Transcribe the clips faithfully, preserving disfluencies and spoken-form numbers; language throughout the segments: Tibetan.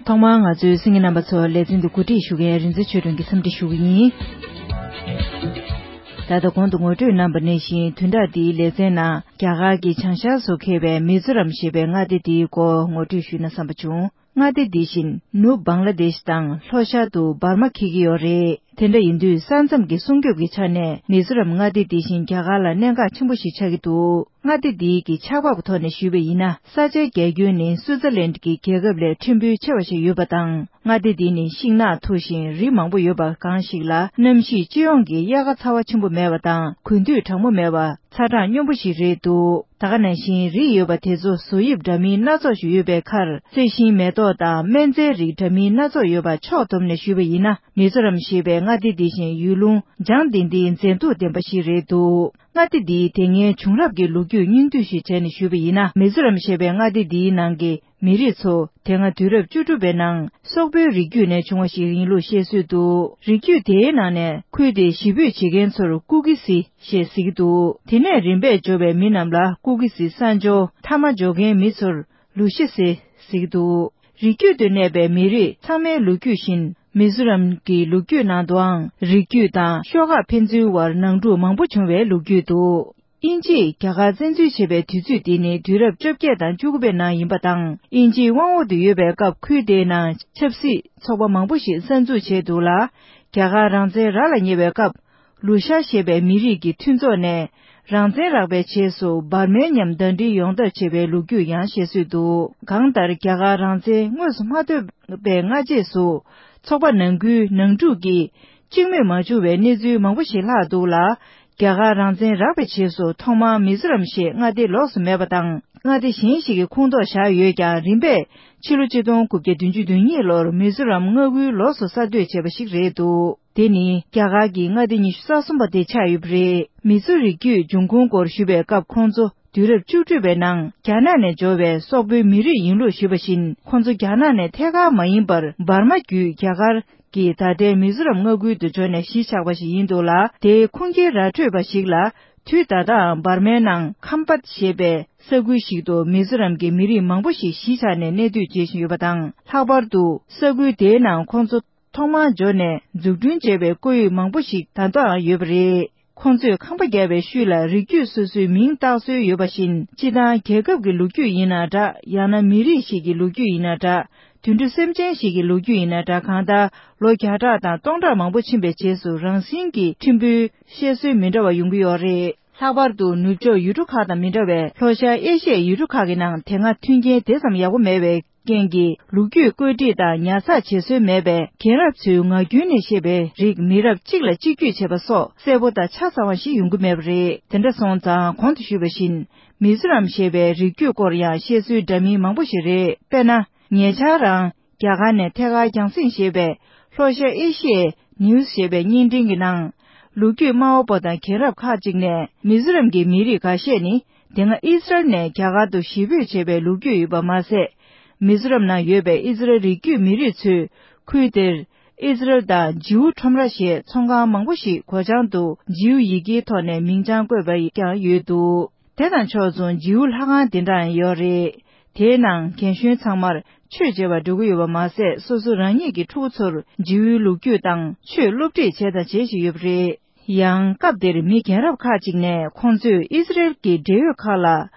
ཐོག་མར་ང་ཚོའི་གསན་མཁན་རྣམ་པ་ཚོར་ལེ་ཚན་འདི་གོ་སྒྲིག་ཞུ་མཁན་རིག་འཛིན་ཆོས་སྒྲོན་གྱིས་འཚམས་འདྲི་ཞུ་གི་ཡིན། ད་ལྟ་གོང་དུ་ངོ་སྤྲོད་གནང་བ་ནང་བཞིན་བདུན་ཕྲག་འདིའི་ལེ་ཚན་ནང་རྒྱ་གར་གྱི་བྱང་ཤར་སུ་འཁེལ་བའི་མི་ཛོ་རམ་ཞེས་པའི་མངའ་སྡེ་འདིའི་སྐོར་ངོ་སྤྲོད་ཞུས་ན་བསམ་པ་བྱུང་། མངའ་སྡེ་འདི་བཞིན་ནུབ་བང་ལ་དེཤ་དང་ལྷོ་ཤར་དུ་འབར་མ་འཁེལ་གྱི་ཡོད་རེད། དེ་འདྲ་ཡིན་དུས་ས་མཚམས་ཀྱི་སྲུང་སྐྱོབ་ཀྱི་ཆ་ནས་མི་ཛོ་རམ་མངའ་སྡེ་འདི་བཞིན་རྒྱ་གར་ལ་གནད་འགག་ཆེན་པོ་ཞིག་ཆགས་ཀྱི་འདུག་མངའ་སྡེ་འདིའི་གི་ཆགས་བབ་ཀྱི་ཐོག་ནས་ཞུས་པ་ཡིན་ན། ས་ཆའི་རྒྱ་ཁྱོན་ནི་སུའུ་ཙེར་ལན་གྱི་རྒྱལ་ཁབ་ལས་ཕྲན་བུ་ཆེ་བ་ཞིག་ཡོད་པ་དང་། མངའ་སྡེ་འདི་ནི་ཤིང་ནགས་མཐོ་ཞིང་རི་མང་པོ་ཡོད་པ་གང་ཞིག་ལ། གནམ་གཤིས་སྤྱི་ཡོངས་ཀྱི་དབྱར་ཁ་ཚ་བ་ཆེན་པོ་མེད་པ་དང་། དགུན་དུས་གྲང་མོ་མེད་པ། ཚ་གྲང་སྙོམས་པོ་ཞིག་རེད་འདུག་ད་ག་ནང་བཞིན་རིགས་ཡོད་པ་དེ་ཚོ་བཟོ་དབྱིབས་འདྲ་མིན་སྣ་ཚོགས་ཤིག་ཡོད་པའི་ཁར། རྩི་ཤིང་མེ་ཏོག་དང་སྨན་རྫས་རིགས་འདྲ་མིན་སྣ་ཚོགས་ཡོད་པ་ཕྱོགས་བསྡོམས་ནས་ཞུས་པ་ཡིན་ན། མི་ཛོ་རམ་ཞེས་པའི་མངའ་སྡེ་འདི་བཞིན་ཡུལ་ལུང་ལྗང་ལྡིང་ལྡིང་མཛེས་སྡུག་ལྡན་པ་ཞིག་རེད་འདུག་མངའ་སྡེ་འདིའི་དེ་སྔའི་བྱུང་རབས་ཀྱི་ལོ་རྒྱུས་སྙིང་བསྡུས་ཤིག་བྱས་ནས་ཞུས་པ་ཡིན་ན། མི་ཛོ་རམ་ཞེས་པའི་མངའ་སྡེ་འདིའི་ནང་གི་མི་རིགས་ཚོ་དེ་སྔ་དུས་རབས་བཅུ་དྲུག་པའི་ནང་སོག་པོའི་རིགས་རྒྱུད་ནས་བྱུང་བ་ཞིག་ཡིན་ལུགས་བཤད་སྲོལ་འདུག་རིགས་རྒྱུད་དེའི་ནང་ནས་ཁུལ་དེའི་གཞིས་སྤོས་བྱེད་མཁན་ཚོར་ཀུ་ཀི་སི་ཞེས་ཟེར་གྱི་འདུག་དེ་ནས་རིམ་པས་འབྱོར་བའི་མི་རྣམས་ལ་ཀུ་ཀི་སི་ས་འབྱོར། མཐའ་མ་འབྱོར་མཁན་མི་ཚོར་ལུ་ཤི་སི་ཟེར་གྱི་འདུག་རིགས་རྒྱུད་དུ་གནས་པའི་མི་རིགས་ཚང་མའི་ལོ་རྒྱུས་བཞིན། མི་ཛོ་རམ་གྱི་ལོ་རྒྱུས་ནང་དུའང་རིགས་རྒྱུད་དང་ཤོག་ཁག་ཕན་ཚུན་བར་ནང་འཁྲུག་མང་པོ་བྱུང་བའི་ལོ་རྒྱུས་འདུག་དབྱིན་ཇིས་རྒྱ་གར་བཙན་འཛུལ་བྱས་པའི་དུས་ཚོད་འདི་ནི་དུས་རབས་བཅོ་བརྒྱད་དང་བཅུ་དགུ་པའི་ནང་ཡིན་པ་དང་། དབྱིན་ཇིའི་དབང་འོག་ཏུ་ཡོད་པའི་སྐབས་ཁུལ་དེའི་ནང་ཆབ་སྲིད་ཚོགས་པ་མང་པོ་ཞིག་གསར་འཛུགས་བྱས་འདུག་ལ། རྒྱ་གར་རང་བཙན་རག་ལ་ཉེ་བའི་སྐབས། ལུ་ཤ་ཞེས་པའི་མི་རིགས་ཀྱི་མཐུན་ཚོགས་ནས་རང་བཙན་རག་པའི་རྗེས་སུ་འབར་མའི་མཉམ་ཟླ་སྒྲིལ་ཡོང་ཐབས་བྱས་པའི་ལོ་རྒྱུས་ཡང་བཤད་སྲོལ་འདུག་གང་ལྟར་རྒྱ་གར་རང་བཙན་དངོས་སུ་མ་ཐོབ་པའི་སྔ་རྗེས་སུ་ཚོགས་པ་ནང་ཁུལ་ནང་འཁྲུག་གིས་གཅིག་མོས་མ་བྱུང་བའི་གནས་ཚུལ་མང་པོ་ཞིག་ལྷག་འདུག་ལ། རྒྱ་གར་རང་བཙན་རག་པའི་རྗེས་སུ་ཐོག་མར་མི་ཛོ་རམ་ཞེས་མངའ་སྡེ་ལོགས་སུ་མེད་པ་དང་། མངའ་སྡེ་གཞན་ཞིག་གི་ཁོངས་གཏོགས་བཞག་ཡོད་ཀྱང་། རིམ་པས་ཕྱི་ལོ་ཆིག་སྟོང་དགུ་བརྒྱ་བདུན་ཅུ་དོན་གཉིས་ལོར་མི་ཛོ་རམ་མངའ་ཁུལ་ལོགས་སུ་གསར་གཏོད་བྱས་པ་ཞིག་རེད་འདུག་དེ་ནི་རྒྱ་གར་གྱི་མངའ་སྡེ་ཉི་ཤུ་རྩ་གསུམ་པ་དེ་ཆགས་ཡོད་པ་རེད། མི་ཛོ་རིགས་རྒྱུད་འབྱུང་ཁུངས་སྐོར་ཞུས་པའི་སྐབས། ཁོང་ཚོ་དུས་རབས་བཅུ་དྲུག་པའི་ནང་རྒྱ་ནག་ནས་འབྱོར་བའི་སོག་པོའི་མི་རིགས་ཡིན་ལུགས་ཞུས་པ་བཞིན། ཁོང་ཚོ་རྒྱ་ནག་ནས་ཐད་ཀར་མ་ཡིན་པར་འབར་མ་བརྒྱུད་རྒྱ་གར་གྱི་ད་ལྟའི་མི་ཛོ་རམ་མངའ་ཁུལ་དུ་འབྱོར་ནས་གཞིས་ཆགས་པ་ཞིག་ཡིན་འདུག་ལ། དེའི་ཁུངས་སྐྱེལ་ར་འཕྲོད་པ་ཞིག་ལ། དུས་ད་ལྟའང་འབར་མའི་ནང་ཁམ་པད་ཞེས་པའི་ས་ཁུལ་ཞིག་ཏུ་མི་ཛོ་རམ་གྱི་མི་རིགས་མང་པོ་ཞིག་གཞིས་ཆགས་ནས་གནས་སྡོད་བྱེད་བཞིན་ཡོད་པ་དང་། ལྷག་པར་དུ་ས་ཁུལ་དེའི་ནང་ཁོང་ཚོ་ཐོག་མར་འབྱོར་ནས་འཛུགས་སྐྲུན་བྱས་པའི་ཀོ་ཡུག་མང་པོ་ཞིག་ད་ལྟའང་ཡོད་པ་རེད། ཁོང་ཚོས་ཁང་པ་བརྒྱབ་པའི་ཤུལ་ལ་རིགས་རྒྱུད་སོ་སོའི་མིང་བཏགས་སྲོལ་ཡོད་པ་བཞིན། སྤྱི་བཏང་རྒྱལ་ཁབ་ཀྱི་ལོ་རྒྱུས་ཡིན་ན་འདྲ། ཡང་ན་མི་རིགས་ཤིག་གི་ལོ་རྒྱུས་ཡིན་ན་འདྲ། དུད་འགྲོ་སེམས་ཅན་ཞིག་གི་ལོ་རྒྱུས་ཡིན་ན་འདྲ། གང་ལྟར་ལོ་བརྒྱ་ཕྲག་དང་སྟོང་ཕྲག་མང་པོ་ཕྱིན་པའི་རྗེས་སུ་རང་བཞིན་གྱིས་ཕྲན་བུའི་བཤད་སྲོལ་མི་འདྲ་བ་ཡོང་གི་ཡོད་རེད། ལྷག་པར་དུ་ནུབ་ཕྱོགས་ཡུལ་གྲུ་ཁག་དང་མི་འདྲ་བའི་ལྷོ་ཤར་ཨེ་ཤི་ཡའི་ཡུལ་གྲུ་ཁག་གི་ནང་དེ་སྔ་མཐུན་རྐྱེན་དེ་ཙམ་ཡག་པོ་མེད་པའི་རྐྱེན་གྱིས། ལོ་རྒྱུས་བཀོད་སྒྲིག་དང་ཉར་ཚགས་བྱེད་སྲོལ་མེད་པས། རྒན་རབས་ཚོའི་ངག་རྒྱུན་ནས་བཤད་པའི་རིགས་མི་རབས་གཅིག་ལ་གཅིག་བརྒྱུད་བྱེད་པ་སོགས་གསལ་པོ་དང་ཆ་ཚང་བ་ཞིག་ཡོང་གི་མེད་པ་རེད། དེ་འདྲ་སོང་ཙང་གོང་དུ་ཞུས་པ་བཞིན། མི་ཛོ་རམ་ཞེས་པའི་རིགས་རྒྱུད་སྐོར་ཡང་བཤད་སྲོལ་འདྲ་མིན་མང་པོ་ཞིག་རེད། དཔེར་ན། ཉེ་ཆར་རང་རྒྱ་གར་ནས་ཐད་ཀར་རྒྱང་སྲིང་བྱས་པའི་ལྷོ་ཤར་ཨེ་ཤི་ཡའི་ནིའུ་སི་ཞེས་པའི་བརྙན་འཕྲིན་གྱི་ནང་། ལོ་རྒྱུས་སྨྲ་བ་པོ་དང་རྒན་རབས་ཁག་ཅིག་ནས། མི་ཛོ་རམ་གྱི་མི་རིགས་འགའ་ཤས་ནི་དེ་སྔ་ཨི་སི་རལ་ནས་རྒྱ་གར་དུ་གཞིས་སྤོས་བྱས་པའི་ལོ་རྒྱུས་ཡོད་པ་མ་ཟད། མི་ཛོ་རམ་ནང་ཡོད་པའི་ཨི་སི་རལ་རིགས་རྒྱུད་མི་རིགས་ཚོས་ཁུལ་དེར་ཨི་སི་རལ་དང་ཇིའུ་ཁྲོམ་ར་ཞེས་ཚོང་ཁང་མང་པོ་ཞིག་སྒོ་བྱང་དུ་ཇིའུ་ཡི་གེའི་ཐོག་ནས་མིང་བྱང་བཀོད་པ་ཀྱང་ཡོད་འདུག་དེ་དང་ཕྱོགས་མཚུངས་ཇིའུ་ལྷ་ཁང་དེ་འདྲའང་ཡོད་རེད། དེའི་ནང་རྒན་གཞོན་ཚང་མར་ཆོས་མཇལ་བར་འགྲོ་གི་ཡོད་པ་མ་ཟད། སོ་སོ་རང་ཉིད་ཀྱི་ཕྲུ་གུ་ཚོར་ཇིའུའི་ལོ་རྒྱུས་དང་ཆོས་སློབ་ཁྲིད་བྱས་དང་བྱེད་བཞིན་ཡོད་པ་རེད། ཡང་སྐབས་དེར་མི་རྒན་རབས་ཁག་ཅིག་ནས་ཁོང་ཚོས་ཨི་སི་རེལ་གྱི་འབྲེལ་ཡོད་ཁག་ལ།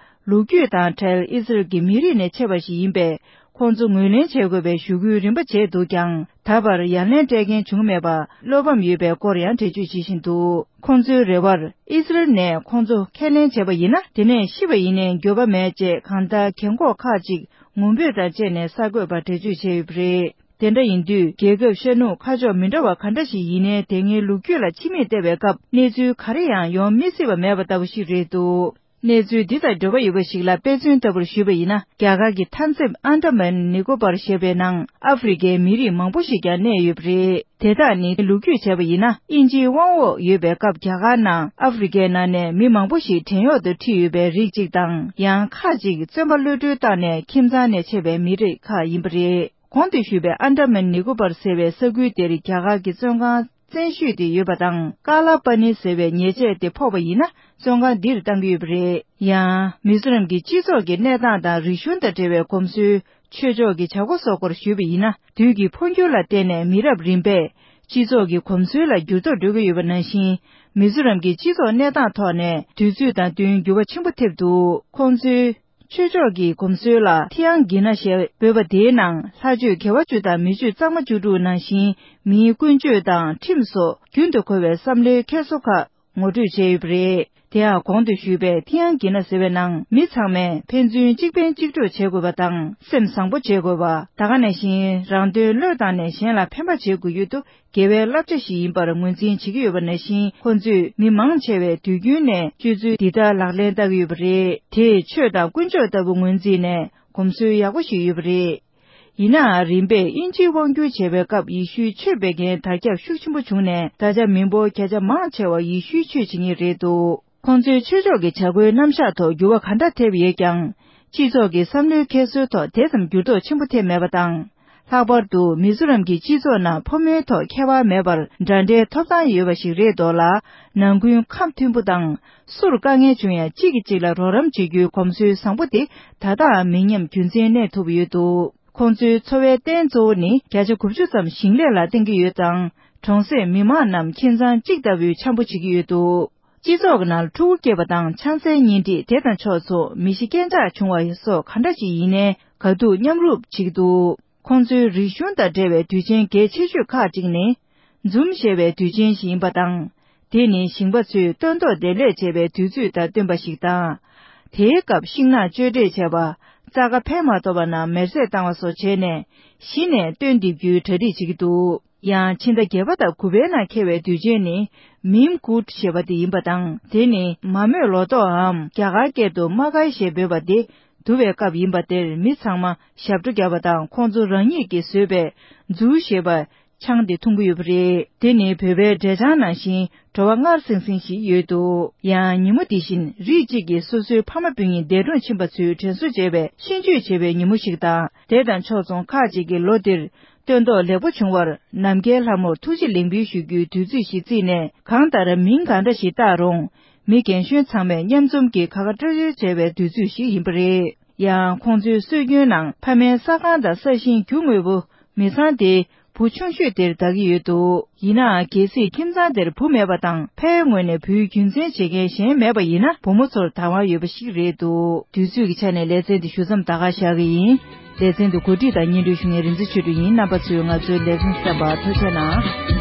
ལོ་རྒྱུས་དང་འབྲེལ་ཨི་སི་རེལ་གྱི་མི་རིགས་ནས་མཆེད་པ་ཞིག་ཡིན་པས། ཁོང་ཚོ་ངོས་ལེན་བྱེད་དགོས་པའི་ཞུ་སྐུལ་རིམ་པ་བྱས་འདུག་ཀྱང་། ད་བར་ཡ་ལན་སྤྲད་མཁན་བྱུང་མེད་པ་བློ་ཕམ་ཡོད་པའི་སྐོར་ཡང་འགྲེལ་བརྗོད་བྱེད་བཞིན་འདུག་ཁོང་ཚོའི་རེ་བར། ཨི་སི་རེལ་ནས་ཁོང་ཚོ་ཁས་ལེན་བྱས་པ་ཡིན་ན། དེ་ནས་ཤི་བ་ཡིན་ནའི་འགྱོད་པ་མེད་ཅེས། གང་ལྟར་རྒན་འཁོགས་ཁག་ཅིག་ངུ་འབོད་དང་བཅས་ནས་གསར་འགོད་པར་འགྲེལ་བརྗོད་བྱས་ཡོད་པ་རེད། དེ་འདྲ་ཡིན་དུས། རྒྱལ་ཁབ་ཤར་ནུབ་ཁ་ཕྱོགས་མི་འདྲ་བ་ག་འདྲ་ཞིག་ཡིན་ནའི། དེ་སྔའི་ལོ་རྒྱུས་ལ་ཕྱི་མིག་བལྟས་པའི་སྐབས། གནས་ཚུལ་ག་རེ་ཡང་ཡོང་མི་སྲིད་པ་མེད་པ་ལྟ་བུ་ཞིག་རེད་འདུག་གནས་ཚུལ་འདི་དང་འབྲེལ་བ་ཡོད་པ་ཞིག་ལ་དཔེ་མཚོན་ལྟ་བུར་ཞུས་པ་ཡིན་ན། རྒྱ་གར་གྱི་མཐའ་མཚམས་ཨན་ཌ་མན་ནི་ཀོ་པར་ཞེས་པའི་ནང་ཨ་ཧྥེ་རི་ཁའི་མི་རིགས་མང་པོ་ཞིག་ཀྱང་གནས་ཡོད་པ་རེད། དེ་དག་ནི་ལོ་རྒྱུས་བྱས་པ་ཡིན་ན། དབྱིན་ཇིའི་དབང་འོག་ཡོད་པའི་སྐབས། རྒྱ་གར་ནང་ཨ་ཧྥེ་རི་ཁའི་ནང་ནས་མི་མང་པོ་ཞིག་བྲན་གཡོག་ཏུ་ཁྲིད་ཡོད་པའི་རིགས་གཅིག་དང་། ཡང་ཁག་ཅིག་བཙོན་པ་གློད་གྲོལ་བཏང་ནས་ཁྱིམ་ཚང་ནས་ཆད་པའི་མི་རིགས་ཁག་ཡིན་པ་རེད། གོང་དུ་ཞུས་པའི་ཨན་ཌ་མན་ནི་ཀོ་པར་ཟེར་བའི་ས་ཁུལ་དེར་རྒྱ་གར་གྱི་བཙོན་ཁང་ བཙན་ཤོས་དེ་ཡོད་པ་དང་། ཀ་ལ་པ་ནི་ཟེར་བའི་ཉེས་ཆད་དེ་ཕོག་པ་ཡིན་ན། བཙོན་ཁང་འདིར་བཏང་གི་ཡོད་པ་རེད། ཡང་མི་ཛོ་རམ་གྱི་སྤྱི་ཚོགས་ཀྱི་གནས་སྟངས་དང་རིག་གཞུང་དང་འབྲེལ་བའི་གོམས་སྲོལ། ཆོས་ཕྱོགས་ཀྱི་བྱ་སྒོ་སོགས་སྐོར་ཞུས་པ་ཡིན་ན། དུས་ཀྱི་འཕོ་འགྱུར་ལ་བརྟེན་ནས་མི་རབས་རིམ་པས་སྤྱི་ཚོགས་ཀྱི་གོམས་སྲོལ་ལ་འགྱུར་ལྡོག་འགྲོ་གི་ཡོད་པ་ནང་བཞིན། མི་ཛོ་རམ་གྱི་སྤྱི་ཚོགས་གནས་སྟངས་ཐོག་ནས་དུས་ཚོད་དང་བསྟུན་འགྱུར་བ་ཆེན་པོ་ཐེབས་འདུག་ཁོང་ཚོའི་ཆོས་ཕྱོགས་ཀྱི་གོམས་སྲོལ་ལ་ཐི་ཨང་གི་ན་ཞེས་འབོད་པ་དེའི་ནང་ལྷ་ཆོས་དགེ་བ་བཅུ་དང་མི་ཆོས་གཙང་མ་བཅུ་དྲུག་ནང་བཞིན་མིའི་ཀུན་སྤྱོད་དང་ཁྲིམས་སོགས་རྒྱུན་དུ་མཁོ་བའི་བསམ་བློའི་འཁྱེར་སོ་ཁག་ངོ་སྤྲོད་བྱས་ཡོད་པ་རེད། དེ་ཡང་གོང་དུ་ཞུས་པའི་ཐི་ཨང་གི་ན་ཟེར་བའི་ནང་མི་ཚང་མས་ཕན་ཚུན་གཅིག་ཕན་གཅིག་གྲོགས་བྱེད་དགོས་པ་དང་སེམས་བཟང་པོ་བྱེད་དགོས་པ། ད་ག་ནང་བཞིན་རང་དོན་བློས་བཏང་ནས་གཞན་ལ་ཕན་པ་བྱེད་དགོས་ཡོད་དུ། དགེ་བའི་བསླབ་བྱ་ཞིག་ཡིན་པར་ངོས་འཛིན་བྱེད་ཀྱི་ཡོད་པ་ནང་བཞིན། ཁོ་ཚོས་མི་མང་ཆེ་བས་དུས་རྒྱུན་ནས་སྤྱོད་ཚུལ་འདི་ལྟར་ལག་ལེན་བསྟར་གྱི་ཡོད་པ་རེད། དེས་ཆོས་དང་དཀོན་མཆོག་ལྟ་བུ་ངོས་འཛིན་ནས་གོམས་སྲོལ་ཡག་པོ་ཞིག་ཡོད་པ་རེད། ཡིན་ནའང་། རིམ་པས་དབྱིན་ཇིའི་དབང་བསྒྱུར་བྱས་པའི་སྐབས་ཡེ་ཤུའི་ཆོས་སྤེལ་མཁན་དར་ཁྱབ་ཤུགས་ཆེན་པོ་བྱུང་ནས། ད་ཆ་མི་འབོར་བརྒྱ་ཆ་མང་ཆེ་བ་ཡེ་ཤུའི་ཆོས་བྱེད་མཁན་རེད་འདུག་ཁོང་ཚོའི་ཆོས་ཕྱོགས་ཀྱི་བྱ་སྒོའི་རྣམ་གཞག་ཐོག་འགྱུར་བ་ག་འདྲ་ཐེབས་ཡོད་ཀྱང་། སྤྱི་ཚོགས་ཀྱི་བསམ་བློའི་འཁྱེར་སོའི་ཐོག་དེ་ཙམ་འགྱུར་ལྡོག་ཆེན་པོ་ཐེབས་མེད་པ་དང་། ལྷག་པར་དུ་མི་ཛོ་རམ་གྱི་སྤྱི་ཚོགས་ནང་ཕོ་མོའི་ཐོག་ཁྱད་པར་མེད་པར་འདྲ་འདྲའི་ཐོབ་ཐང་ཡོད་པ་ཞིག་རེད་འདུག་ལ། ནང་ཁུལ་ཁམས་མཐུན་པོ་དང་། སུར་དཀའ་ངལ་བྱུང་ཡང་གཅིག་གིས་གཅིག་ལ་རོགས་རམ་བྱེད་རྒྱུའི་གོམས་སྲོལ་བཟང་པོ་དེ་ད་ལྟའང་མི་ཉམས་རྒྱུན་འཛིན་གནས་ཐུབ་ཡོད་འདུག་ཁོང་ཚོའི་འཚོ་བའི་རྟེན་གཙོ་བོ་ནི་བརྒྱ་ཆ་དགུ་བཅུ་ཙམ་ཞིང་ལས་ལ་བརྟེན་གྱི་ཡོད་ཙང་། གྲོང་གསེབ་མི་མང་རྣམས་ཁྱིམ་ཚང་གཅིག་ལྟ་བུའི་འཆམ་པོ་བྱེད་ཀྱི་ཡོད་འདུག་སྤྱི་ཚོགས་ཀྱི་ནང་ཕྲུ་གུ་སྐྱེས་པ་དང་ཆང་སའི་གཉེན་སྒྲིག་དེ་དང་ཕྱོགས་མཚུངས་མི་ཤི་རྐྱེན་ཆག་བྱུང་བ་སོགས་ག་འདྲ་ཞིག་ཡིན་ནའི་དགའ་སྡུག་མཉམ་རུབ་བྱེད་ཀྱི་འདུག་ཁོང་ཚོའི་རིག་གཞུང་དང་འབྲེལ་བའི་དུས་ཆེན་གལ་ཆེ་ཤོས་ཁག་ཅིག་ནི། འཛུམ་ཞེས་པའི་དུས་ཆེན་ཞིག་ཡིན་པ་དང་། དེ་ནི་ཞིང་པ་ཚོས་སྟོན་ཐོག་འདེབས་ལས་བྱེད་པའི་དུས་ཚོད་དང་བསྟུན་པ་ཞིག་དང་། དེའི་སྐབས་ཤིང་ནགས་གཅོད་འབྲེག་བྱས་པ། རྩྭ་ཁ་ཕན་མ་ཐོགས་པ་རྣམས་མེར་སྲེག་བཏང་བ་སོགས་བྱས་ནས། གཞི་ནས་སྟོན་འདེབས་རྒྱུའི་གྲ་སྒྲིག་བྱེད་ཀྱི་འདུག་ཡང་ཕྱི་ཟླ་བརྒྱད་པ་དང་དགུ་པའི་ནང་འཁེལ་བའི་དུས་ཆེན་ནི། མིམ་ཀུད་ཞེས་པ་དེ་ཡིན་པ་དང་། དེ་ནི་མ་རྨོས་ལོ་ཏོག་འམ། རྒྱ་གར་སྐད་དུ་མ་ཀའི་ཞེས་འབོད་པ་དེ། བསྡུ་བའི་སྐབས་ཡིན་པ་དེར་མི་ཚང་མ་ཞབས་བྲོ་བརྒྱབ་པ་དང་ཁོང་ཚོ་རང་ཉིད་ཀྱིས་བཟོས་པའི་ཛུའུ་ཞེས་པ་ཆང་དེ་འཐུང་གི་ཡོད་པ་རེད། དེ་ནི་བོད་པའི་འབྲས་ཆང་ནང་བཞིན་བྲོ་བ་མངར་སིང་སིང་ཞིག་ཡོད་འདུག་ཡང་ཉིན་མོ་དེ་བཞིན་རིགས་གཅིག་གི་སོ་སོའི་ཕ་མ་སྤུན་ཉེ་འདས་གྲོངས་ཕྱིན་པ་ཚོའི་དྲན་གསོ་བྱེད་པའི་ཤིས་བརྗོད་བྱེད་པའི་ཉིན་མོ་ཞིག་དང་། དེ་དང་ཕྱོགས་མཚུངས་ཁག་ཅིག་གིས་ལོ་འདིར་སྟོན་ཐོག་ལེགས་པོ་བྱུང་བར་ནམ་མཁའི་ལྷ་མོར་ཐུགས་རྗེ་ལེགས་འབུལ་ཞུ་རྒྱུའི་དུས་ཚོད་ཞིག་བརྩིས་ནས། གང་ལྟར་མིང་གང་འདྲ་ཞིག་བཏགས་རུང་། མི་རྒན་གཞོན་ཚང་མས་མཉམ་འཛོམས་ཀྱིས་ཁ་ཁ་སྤྲོད་སྤྲོད་བྱས་པའི་དུས་ཚོད་ཞིག་ཡིན་པ་རེད། ཡང་ཁོང་ཚོའི་སྲོལ་རྒྱུན་ནང་ཕ་མའི་ས་ཁང་དང་ས་ཞིང་རྒྱུ་དངོས་པོ་མི་ཚང་དེ་བུ་ཆུང་ཤོས་དེར་བདག་གི་ཡོད་འདུག་ཡིན་ནའང་། གལ་སྲིད་ཁྱིམ་ཚང་དེར་བུ་མེད་པ་དང་། ཕའི་ངོས་ནས་བུའི་རྒྱུན་འཛིན་བྱེད་མཁན་གཞན་མེད་པ་ཡིན་ན། བུ་མོ་ཚོར་བདག་དབང་ཡོད་པ་ཞིག་རེད་འདུག་དུས་ཚོད་ཀྱི་ཆ་ནས་ལེ་ཚན་འདི་ཞུ་མཚམས་ད་ག་བཞག་གི་ཡིན། ལེ་ཚན་འདི་གོ་སྒྲིག་དང་སྙན་སྒྲོན་ཞུ་མཁན་རིག་འཛིན་ཆོས་སྒྲོན་ཡིན། རྣམ་པ་ཚོས་ང་ཚོའི་ལེ་ཚན་གསན་པར་ཐུགས་རྗེ་གནང་།